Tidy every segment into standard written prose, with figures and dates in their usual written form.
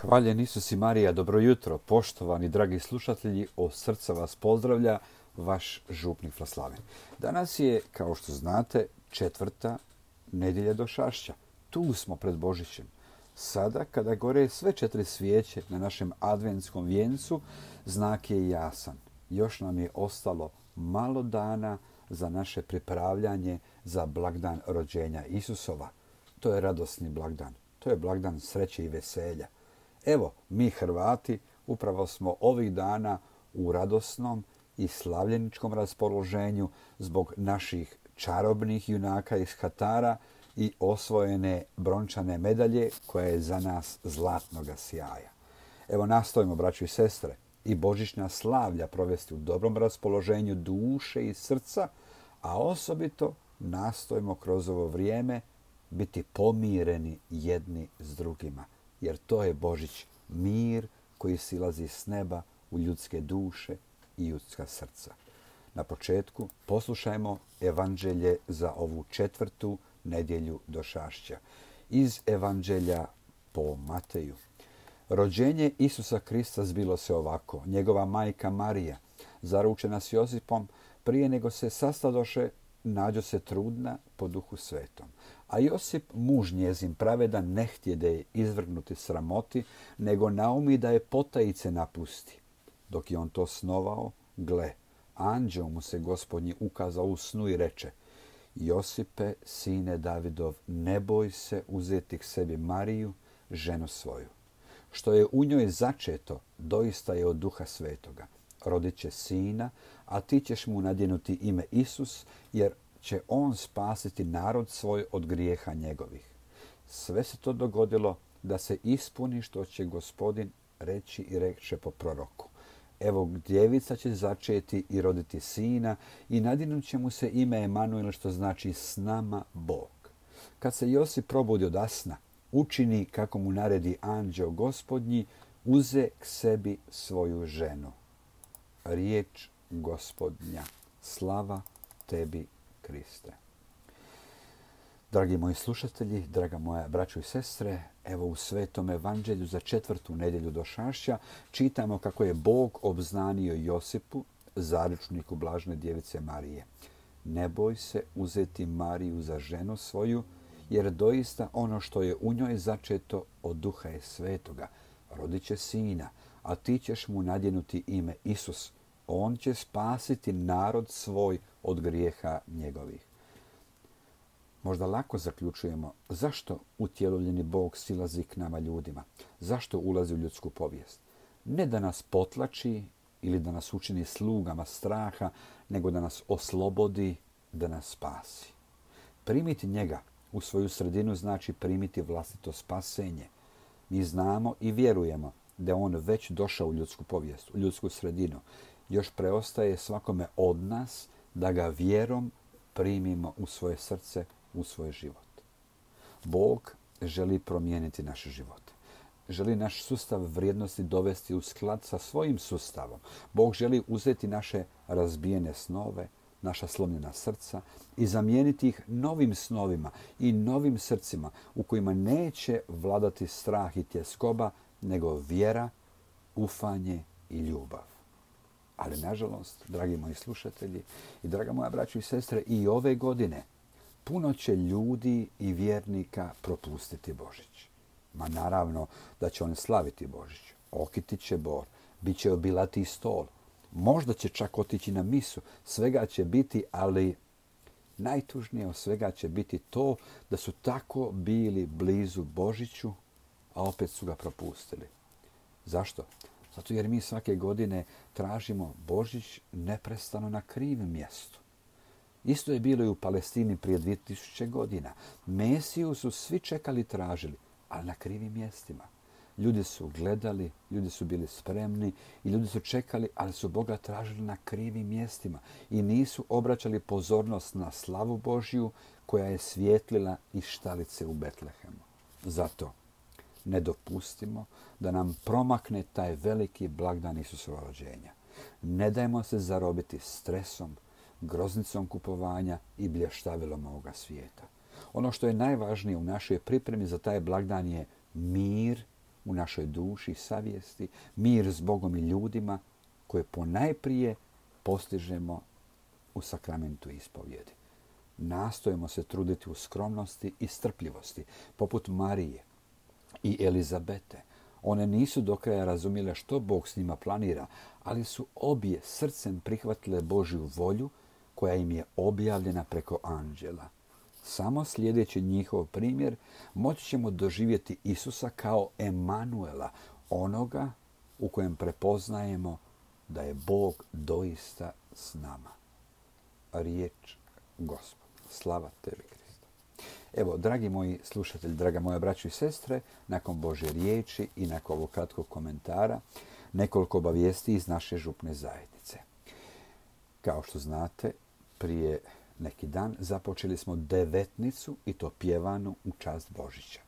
Hvaljen Isus i Marija, dobro jutro, poštovani dragi slušatelji, od srca vas pozdravlja vaš župnik Vlaslaven. Danas je, kao što znate, 4. nedjelja Došašća. Tu smo pred Božićem. Sada, kada gore sve 4 svijeće na našem adventskom vijencu, znak je jasan. Još nam je ostalo malo dana za naše pripravljanje za blagdan rođenja Isusova. To je radosni blagdan. To je blagdan sreće i veselja. Evo, mi Hrvati upravo smo ovih dana u radosnom i slavljeničkom raspoloženju zbog naših čarobnih junaka iz Hatara i osvojene brončane medalje koja je za nas zlatnoga sjaja. Evo, nastojimo, braćo i sestre, i božićna slavlja provesti u dobrom raspoloženju duše i srca, a osobito nastojimo kroz ovo vrijeme biti pomireni jedni s drugima. Jer to je Božić, mir koji silazi s neba u ljudske duše i ljudska srca. Na početku poslušajmo evanđelje za ovu 4. nedjelju Došašća. Iz evanđelja po Mateju. Rođenje Isusa Krista zbilo se ovako. Njegova majka Marija, zaručena s Josipom, prije nego se sastadoše, nađo se trudna po Duhu Svetom. A Josip, muž njezin pravedan, ne htjede je izvrgnuti sramoti, nego naumi da je potajice napusti. Dok je on to snovao, gle, anđeo mu se Gospodnji ukazao u snu i reče: Josipe, sine Davidov, ne boj se uzeti k sebi Mariju, ženu svoju. Što je u njoj začeto, doista je od Duha Svetoga. Rodit će sina, a ti ćeš mu nadjenuti ime Isus, jer će on spasiti narod svoj od grijeha njegovih. Sve se to dogodilo da se ispuni što će Gospodin reći i reče po proroku. Evo, djevica će začeti i roditi sina i nadjenut će mu se ime Emanuel, što znači s nama Bog. Kad se Josip probudi od sna, učini kako mu naredi anđeo Gospodnji, uze k sebi svoju ženu. Riječ Gospodnja. Slava tebi, Kriste. Dragi moji slušatelji, draga moja braćo i sestre, evo u Svetom evanđelju za 4. nedjelju Došašća čitamo kako je Bog obznanio Josipu, zaručniku blažene djevice Marije. Ne boj se uzeti Mariju za ženu svoju, jer doista ono što je u njoj začeto od Duha je Svetoga. Rodit će sina, a ti ćeš mu nadjenuti ime Isus. On će spasiti narod svoj od grijeha njegovih. Možda lako zaključujemo zašto utjelovljeni Bog silazi k nama ljudima. Zašto ulazi u ljudsku povijest. Ne da nas potlači ili da nas učini slugama straha, nego da nas oslobodi, da nas spasi. Primiti njega u svoju sredinu znači primiti vlastito spasenje. Mi znamo i vjerujemo da je on već došao u ljudsku povijest, u ljudsku sredinu. Još preostaje svakome od nas da ga vjerom primimo u svoje srce, u svoj život. Bog želi promijeniti naše živote. Želi naš sustav vrijednosti dovesti u sklad sa svojim sustavom. Bog želi uzeti naše razbijene snove, naša slomljena srca i zamijeniti ih novim snovima i novim srcima u kojima neće vladati strah i tjeskoba, nego vjera, ufanje i ljubav. Ali, nažalost, dragi moji slušatelji i draga moja braćo i sestre, i ove godine puno će ljudi i vjernika propustiti Božić. Ma naravno da će on slaviti Božić. Okiti će bor, bit će obilati stol. Možda će čak otići na misu. Svega će biti, ali najtužnije od svega će biti to da su tako bili blizu Božiću, a opet su ga propustili. Zašto? Zato jer mi svake godine tražimo Božić neprestano na krivim mjestu. Isto je bilo i u Palestini prije 2000 godina. Mesiju su svi čekali i tražili, ali na krivim mjestima. Ljudi su gledali, ljudi su bili spremni i ljudi su čekali, ali su Boga tražili na krivim mjestima i nisu obraćali pozornost na slavu Božju koja je svjetlila iz štalice u Betlehemu. Zato ne dopustimo da nam promakne taj veliki blagdan Isusova rođenja. Ne dajmo se zarobiti stresom, groznicom kupovanja i blještavilom ovoga svijeta. Ono što je najvažnije u našoj pripremi za taj blagdan je mir u našoj duši i savjesti, mir s Bogom i ljudima koje ponajprije postižemo u sakramentu ispovjedi. Nastojimo se truditi u skromnosti i strpljivosti, poput Marije i Elizabete. One nisu do kraja razumjele što Bog s njima planira, ali su obje srcem prihvatile Božju volju koja im je objavljena preko anđela. Samo slijedeći njihov primjer moći ćemo doživjeti Isusa kao Emanuela, onoga u kojem prepoznajemo da je Bog doista s nama. Riječ Gospod. Slava tebi, Kriste. Evo, dragi moji slušatelji, draga moja braćo i sestre, nakon Božje riječi i nakon ovog kratkog komentara, nekoliko obavijesti iz naše župne zajednice. Kao što znate, prije neki dan započeli smo devetnicu i to pjevanu u čast Božića.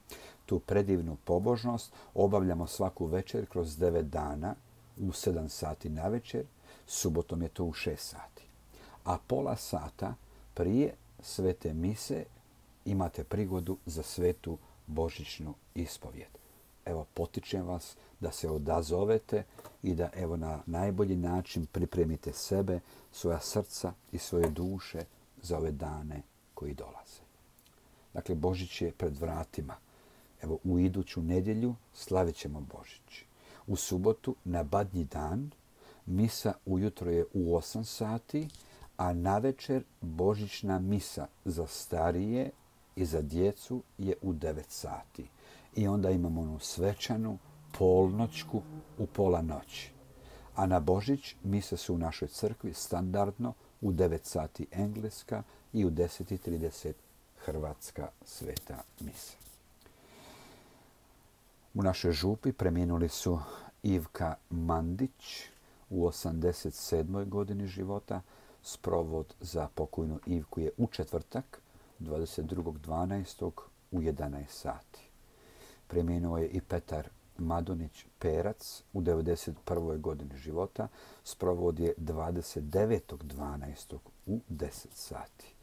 Tu predivnu pobožnost obavljamo svaku večer kroz 9 dana u 7 sati na večer, subotom je to u 6 sati. A pola sata prije svete mise imate prigodu za svetu božićnu ispovjed. Evo, potičem vas da se odazovete i da evo na najbolji način pripremite sebe, svoja srca i svoje duše za ove dane koji dolaze. Dakle, Božić je pred vratima. Evo, u iduću nedjelju slavit ćemo Božić. U subotu, na Badnji dan, misa ujutro je u 8 sati, a navečer božićna misa za starije i za djecu je u 9 sati. I onda imamo onu svečanu polnoćku u pola noći. A na Božić mise su u našoj crkvi standardno u 9 sati engleska i u 10:30 hrvatska sveta misa. U našoj župi preminuli su Ivka Mandić u 87. godini života. Sprovod za pokojnu Ivku je u četvrtak, 22.12. u 11 sati. Preminuo je i Petar Madonić Perac u 91. godini života. Sprovod je 29.12. u 10 sati.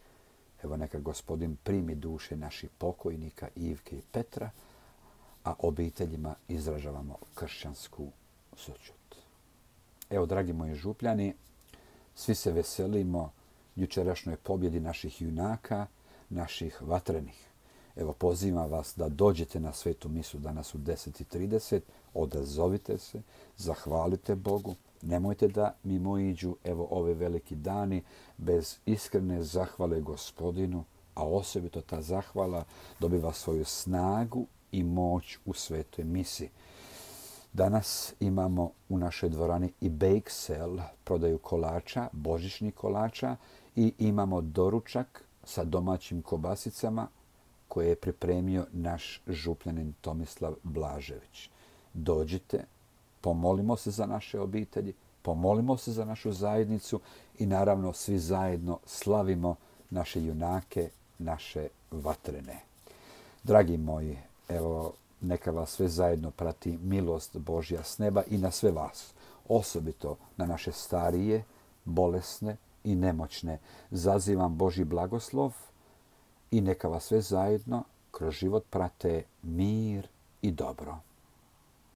Evo, neka Gospodin primi duše naših pokojnika Ivke i Petra, a obiteljima izražavamo kršćansku sućut. Evo, dragi moji župljani, svi se veselimo jučerašnjoj pobjedi naših junaka, naših vatrenih. Evo, pozivam vas da dođete na svetu misu danas u 10:30, odazovite se, zahvalite Bogu. Nemojte da mimo iđu evo ove veliki dani bez iskrene zahvale Gospodinu, a osobito ta zahvala dobiva svoju snagu i moć u svetoj misi. Danas imamo u našoj dvorani i bake sale, prodaju kolača, božićnih kolača, i imamo doručak sa domaćim kobasicama koje je pripremio naš župljanin Tomislav Blažević. Dođite, pomolimo se za naše obitelji, pomolimo se za našu zajednicu i naravno svi zajedno slavimo naše junake, naše vatrene. Dragi moji, evo, neka vas sve zajedno prati milost Božja s neba i na sve vas, osobito na naše starije, bolesne i nemoćne. Zazivam Božji blagoslov i neka vas sve zajedno kroz život prate mir i dobro.